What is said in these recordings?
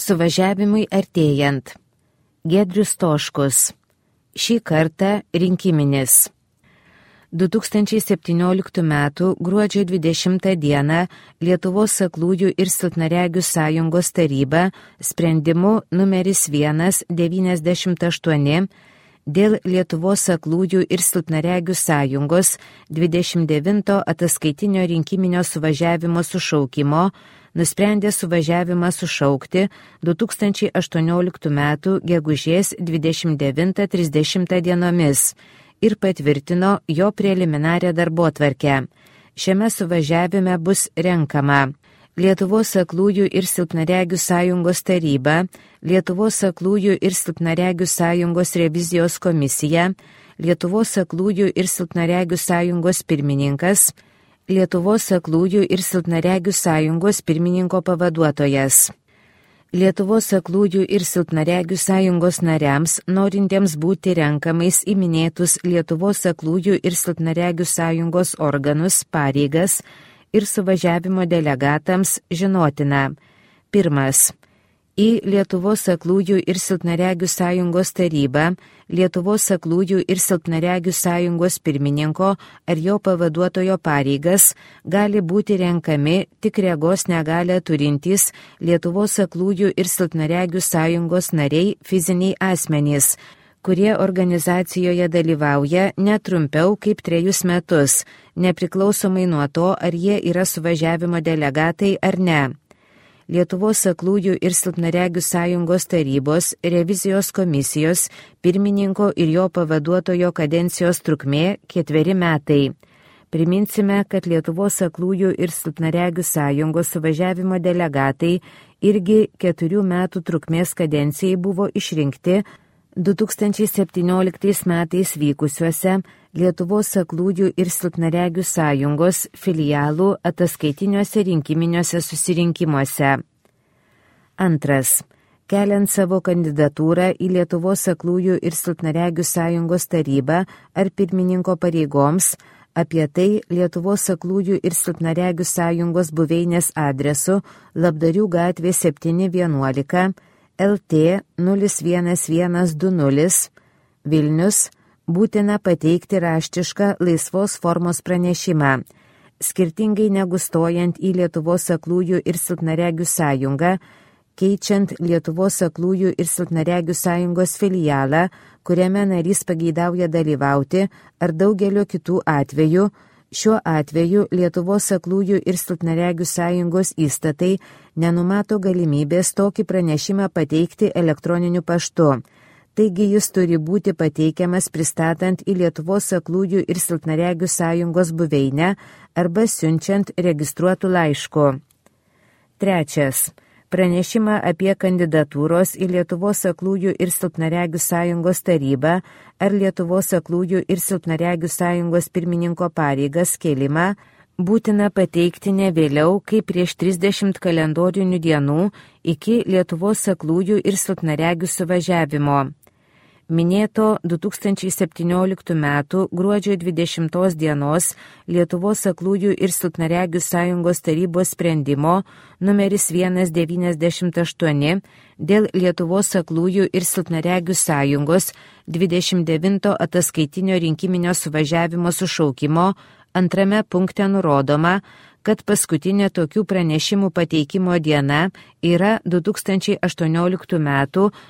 Suvažiavimui artėjant. Giedrius Stoškus. Šį kartą rinkiminis. 2017 m. gruodžio 20 d. Lietuvos aklųjų ir silpnaregių sąjungos taryba sprendimu numeris 198 dėl Lietuvos aklųjų ir silpnaregių sąjungos 29 ataskaitinio rinkiminio suvažiavimo sušaukimo nusprendė suvažiavimą sušaukti 2018 m. gegužės 29-30 dienomis ir patvirtino jo preliminarią darbotvarkę. Šiame suvažiavime bus renkama Lietuvos aklųjų ir silpnaregių sąjungos taryba, Lietuvos aklųjų ir silpnaregių sąjungos revizijos komisija, Lietuvos aklųjų ir silpnaregių sąjungos pirmininkas, Lietuvos aklųjų ir silpnaregių sąjungos pirmininko pavaduotojas. Lietuvos aklųjų ir silpnaregių sąjungos nariams, norintiems būti renkamais į minėtus Lietuvos aklųjų ir silpnaregių sąjungos organus, pareigas ir suvažiavimo delegatams žinotina. 1. Į Lietuvos aklųjų ir silpnaregių sąjungos tarybą Lietuvos aklųjų ir silpnaregių sąjungos pirmininko ar jo pavaduotojo pareigas gali būti renkami tik regos negalią turintys Lietuvos aklųjų ir silpnaregių sąjungos nariai fiziniai asmenys, kurie organizacijoje dalyvauja netrumpiau kaip 3 metus, nepriklausomai nuo to, ar jie yra suvažiavimo delegatai ar ne. Lietuvos aklųjų ir silpnaregių sąjungos tarybos revizijos komisijos pirmininko ir jo pavaduotojo kadencijos trukmė 4 metai. Priminsime, kad Lietuvos aklųjų ir silpnaregių sąjungos suvažiavimo delegatai irgi 4 metų trukmės kadencijai buvo išrinkti 2017 metais vykusiuose Lietuvos aklųjų ir silpnaregių sąjungos filialų ataskaitiniuose rinkiminiuose susirinkimuose. 2. Keliant savo kandidatūrą į Lietuvos aklųjų ir silpnaregių sąjungos tarybą ar pirmininko pareigoms, apie tai Lietuvos aklųjų ir silpnaregių sąjungos buveinės adresu Labdarių gatvė 711 LT 01120 Vilnius būtina pateikti raštišką laisvos formos pranešimą. Skirtingai negu stojant į Lietuvos aklųjų ir silpnaregių sąjungą, keičiant Lietuvos aklųjų ir silpnaregių sąjungos filialą, kuriame narys pageidauja dalyvauti, ar daugelio kitų atvejų, šiuo atveju Lietuvos aklųjų ir silpnaregių sąjungos įstatai nenumato galimybės tokį pranešimą pateikti elektroniniu paštu. Taigi jis turi būti pateikiamas pristatant į Lietuvos aklųjų ir silpnaregių sąjungos buveinę arba siunčiant registruotų laišku. 3. Pranešimą apie kandidatūros į Lietuvos aklųjų ir silpnaregių sąjungos tarybą ar Lietuvos aklųjų ir silpnaregių sąjungos pirmininko pareigas kėlimą būtina pateikti ne vėliau kaip prieš 30 kalendorinių dienų iki Lietuvos aklųjų ir silpnaregių suvažiavimo. Minėto 2017 m. gruodžio 20 dienos Lietuvos aklųjų ir silpnaregių sąjungos tarybos sprendimo numeris 198 dėl Lietuvos aklųjų ir silpnaregių sąjungos 29 ataskaitinio rinkiminio suvažiavimo sušaukimo 2 punkte nurodoma, kad paskutinė tokių pranešimų pateikimo diena yra 2018 m.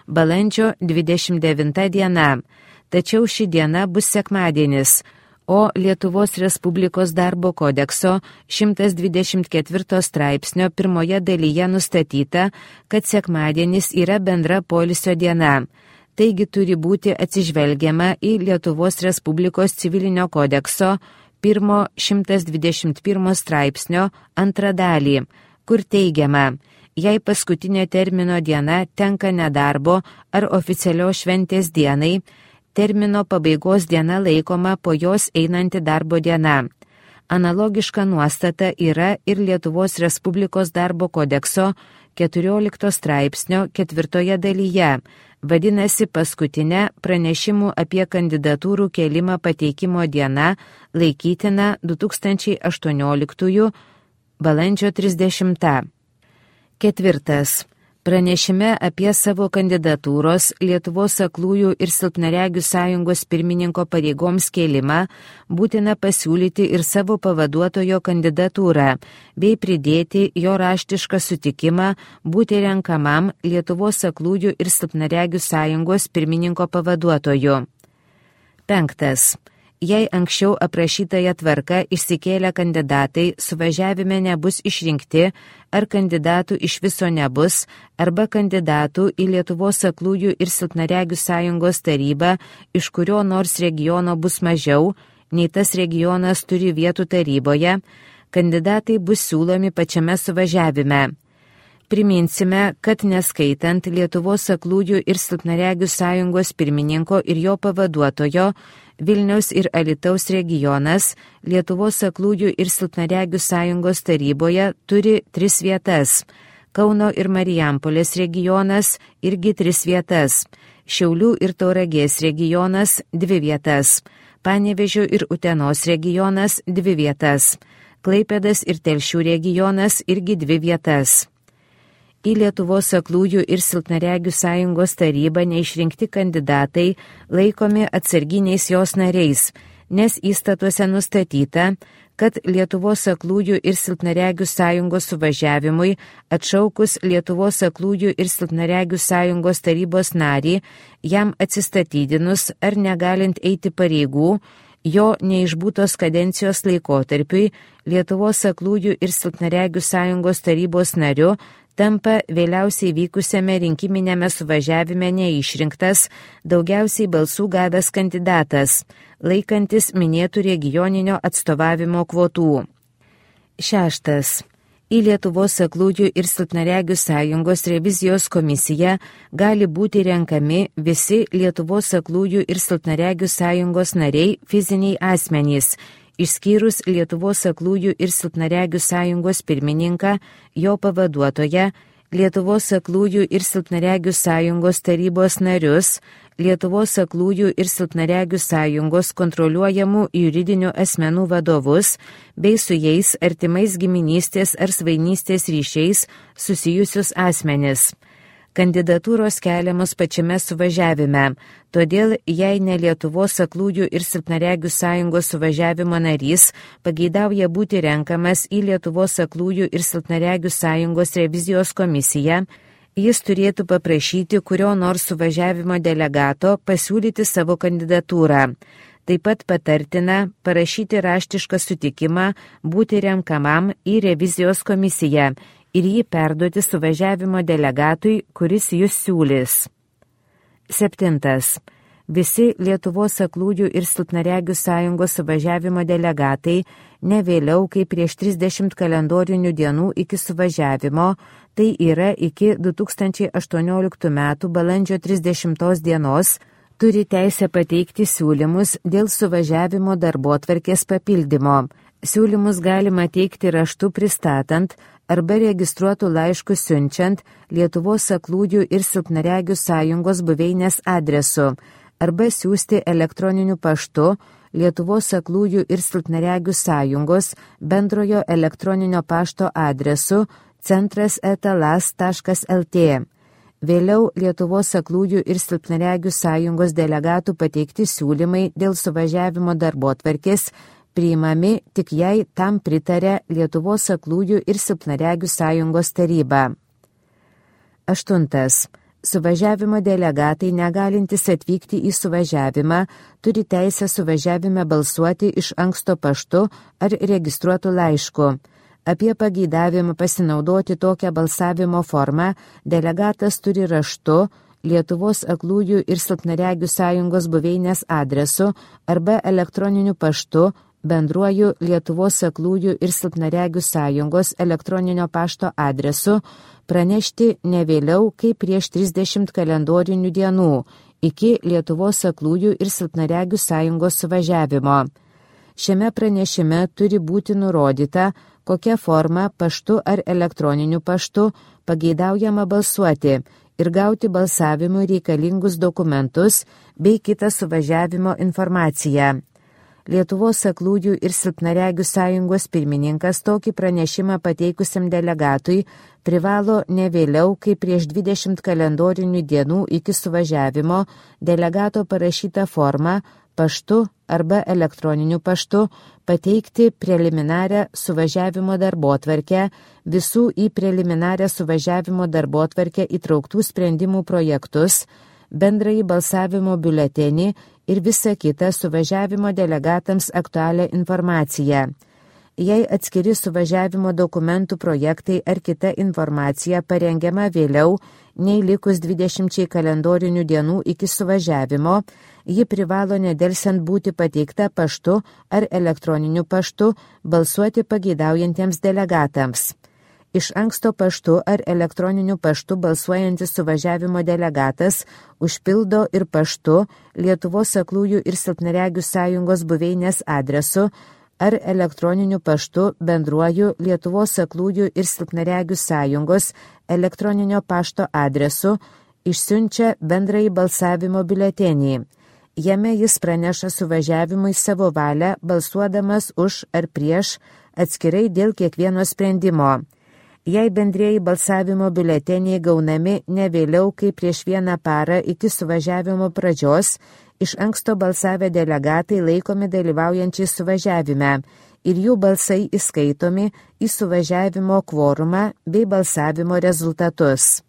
balandžio 29 diena. Tačiau ši diena bus sekmadienis, o Lietuvos Respublikos darbo kodekso 124 straipsnio 1 dalyje nustatyta, kad sekmadienis yra bendra poilsio diena. Taigi turi būti atsižvelgiama į Lietuvos Respublikos civilinio kodekso 121 straipsnio 2 dalį, kur teigiama, jei paskutinė termino diena tenka nedarbo ar oficialios šventės dienai, termino pabaigos diena laikoma po jos einanti darbo diena. Analogiška nuostata yra ir Lietuvos Respublikos darbo kodekso 14 straipsnio 4 dalyje, vadinasi paskutinė pranešimų apie kandidatūrų kėlimą pateikimo diena laikytina 2018 balandžio 30. 4. Pranešime apie savo kandidatūros Lietuvos aklųjų ir silpnaregių sąjungos pirmininko pareigoms kėlimą būtina pasiūlyti ir savo pavaduotojo kandidatūrą, bei pridėti jo raštišką sutikimą būti renkamam Lietuvos aklųjų ir silpnaregių sąjungos pirmininko pavaduotoju. 5. Jei anksčiau aprašytąją tvarką išsikėlę kandidatai suvažiavime nebus išrinkti, ar kandidatų iš viso nebus, arba kandidatų į Lietuvos aklųjų ir silpnaregių sąjungos tarybą, iš kurio nors regiono bus mažiau, nei tas regionas turi vietų taryboje, kandidatai bus siūlomi pačiame suvažiavime. Priminsime, kad neskaitant Lietuvos aklųjų ir silpnaregių sąjungos pirmininko ir jo pavaduotojo, Vilniaus ir Alytaus regionas Lietuvos aklųjų ir silpnaregių sąjungos taryboje turi 3 vietas. Kauno ir Marijampolės regionas irgi 3 vietas. Šiaulių ir Tauragės regionas 2 vietas. Panevėžio ir Utenos regionas 2 vietas. Klaipėdos ir Telšių regionas irgi 2 vietas. Į Lietuvos aklųjų ir silpnaregių sąjungos tarybą neišrinkti kandidatai laikomi atsarginiais jos nariais, nes įstatuose nustatyta, kad Lietuvos aklųjų ir silpnaregių sąjungos suvažiavimui atšaukus Lietuvos aklųjų ir silpnaregių sąjungos tarybos narį, jam atsistatydinus ar negalint eiti pareigų, jo neišbūtos kadencijos laikotarpiui Lietuvos aklųjų ir silpnaregių sąjungos tarybos nariu tampa vėliausiai vykusiame rinkiminėme suvažiavime neišrinktas, daugiausiai balsų gavęs kandidatas, laikantis minėtų regioninio atstovavimo kvotų. 6. Į Lietuvos aklųjų ir silpnaregių sąjungos revizijos komisiją gali būti renkami visi Lietuvos aklųjų ir silpnaregių sąjungos nariai fiziniai asmenys, išskyrus Lietuvos aklųjų ir silpnaregių sąjungos pirmininką, jo pavaduotoją, Lietuvos aklųjų ir silpnaregių sąjungos tarybos narius, Lietuvos aklųjų ir silpnaregių sąjungos kontroliuojamų juridinių asmenų vadovus, bei su jais artimais giminystės ar svainystės ryšiais susijusius asmenis. Kandidatūros keliamos pačiame suvažiavime, todėl jei ne Lietuvos aklųjų ir silpnaregių sąjungos suvažiavimo narys pageidauja būti renkamas į Lietuvos aklųjų ir silpnaregių sąjungos revizijos komisiją, jis turėtų paprašyti kurio nors suvažiavimo delegato pasiūlyti savo kandidatūrą. Taip pat patartina parašyti raštišką sutikimą būti renkamam į revizijos komisiją ir jį perduoti suvažiavimo delegatui, kuris jūs siūlys. 7. Visi Lietuvos aklųjų ir silpnaregių sąjungos suvažiavimo delegatai ne vėliau kaip prieš 30 kalendorinių dienų iki suvažiavimo, tai yra iki 2018 m. balandžio 30 dienos, turi teisę pateikti siūlymus dėl suvažiavimo darbotvarkės papildymo. Siūlymus galima teikti raštu pristatant arba registruotų laiškų siunčiant Lietuvos aklųjų ir silpnaregių sąjungos buveinės adresu arba siųsti elektroniniu paštu Lietuvos aklųjų ir silpnaregių sąjungos bendrojo elektroninio pašto adresu centras@las.lt. Vėliau Lietuvos aklųjų ir silpnaregių sąjungos delegatų pateikti siūlymai dėl suvažiavimo darbotvarkės priimami tik jei tam pritarė Lietuvos aklųjų ir silpnaregių sąjungos taryba. 8. Suvažiavimo delegatai negalintys atvykti į suvažiavimą turi teisę suvažiavime balsuoti iš anksto paštu ar registruotų laišku. Apie pageidavimą pasinaudoti tokią balsavimo formą delegatas turi raštu Lietuvos aklųjų ir silpnaregių sąjungos buveinės adresu arba elektroniniu paštu bendruoju Lietuvos aklųjų ir silpnaregių sąjungos elektroninio pašto adresu pranešti ne vėliau kaip prieš 30 kalendorinių dienų iki Lietuvos aklųjų ir silpnaregių sąjungos suvažiavimo. Šiame pranešime turi būti nurodyta, kokia forma paštu ar elektroniniu paštu pageidaujama balsuoti ir gauti balsavimui reikalingus dokumentus bei kitą suvažiavimo informaciją. Lietuvos aklųjų ir silpnaregių sąjungos pirmininkas tokį pranešimą pateikusiam delegatui privalo ne vėliau, kaip prieš 20 kalendorinių dienų iki suvažiavimo delegato parašytą formą paštu arba elektroniniu paštu pateikti preliminarią suvažiavimo darbotvarkę, visų į preliminarią suvažiavimo darbotvarkę įtrauktų sprendimų projektus, bendrąjį balsavimo biuletenį ir visą kitą suvažiavimo delegatams aktualią informaciją. Jei atskiri suvažiavimo dokumentų projektai ar kita informacija parengiama vėliau nei likus 20 kalendorinių dienų iki suvažiavimo, ji privalo nedelsiant būti pateikta paštu ar elektroniniu paštu balsuoti pageidaujantiems delegatams. Iš anksto paštu ar elektroniniu paštu balsuojantis suvažiavimo delegatas užpildo ir paštu Lietuvos aklųjų ir silpnaregių sąjungos buveinės adresu ar elektroniniu paštu bendruoju Lietuvos aklųjų ir silpnaregių sąjungos elektroninio pašto adresu išsiunčia bendrąjį balsavimo biuletenį. Jame jis praneša suvažiavimui savo valią, balsuodamas už ar prieš atskirai dėl kiekvieno sprendimo. Jei bendrieji balsavimo biuleteniai gaunami ne vėliau kaip prieš 1 parą iki suvažiavimo pradžios, iš anksto balsavę delegatai laikomi dalyvaujančiai suvažiavime ir jų balsai įskaitomi į suvažiavimo kvorumą bei balsavimo rezultatus.